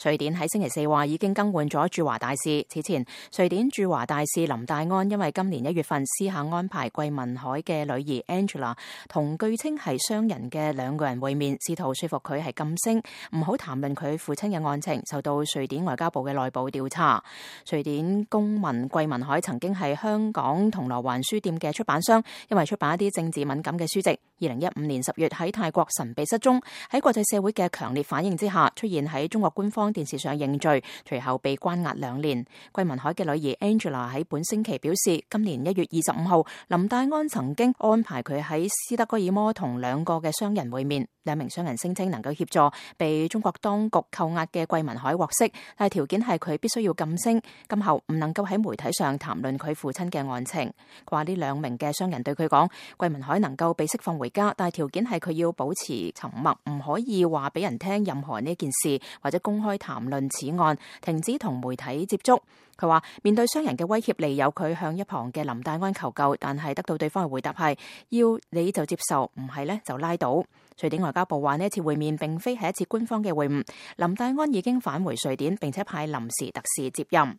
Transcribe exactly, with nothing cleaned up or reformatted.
瑞典喺星期四話已經更換咗駐華大使。此前，瑞典駐華大使林戴安因為今年一月份私下安排桂民海嘅女兒 Angela 同據稱係商人嘅兩個人會面，試圖說服佢係噤聲，唔好談論佢父親嘅案情，受到瑞典外交部嘅內部調查。瑞典公民桂民海曾經係香港銅鑼灣書店嘅出版商，因為出版一啲政治敏感嘅書籍，二零一五年十月喺泰國神秘失蹤，喺國際社會嘅強烈反應之下，出現喺中國官方電視上認罪，隨後被關押兩年。桂民海嘅女兒 Angela 喺本星期表示，今年一月二十五號，林戴安曾經安排佢喺斯德哥爾摩同兩個嘅商人會面，兩名商人聲稱能夠協助被中國當局扣押嘅桂民海獲釋，但係條件係佢必須要噤聲，今後唔能夠喺媒體上談論佢父親嘅案情。佢話呢兩名嘅商人對佢講，桂民海能夠被釋放回家，但係條件係佢要保持沉默，唔可以話俾人聽任何呢件事，或者公開談論此案，停止同媒體接觸。佢話面對商人嘅威脅，利誘佢向一旁嘅林戴安求救，但係得到對方嘅回答係要你就接受，唔係呢就拉倒。瑞典外交部話呢次會面並非係一次官方嘅會晤，林戴安已經返回瑞典，並且派臨時特使接任。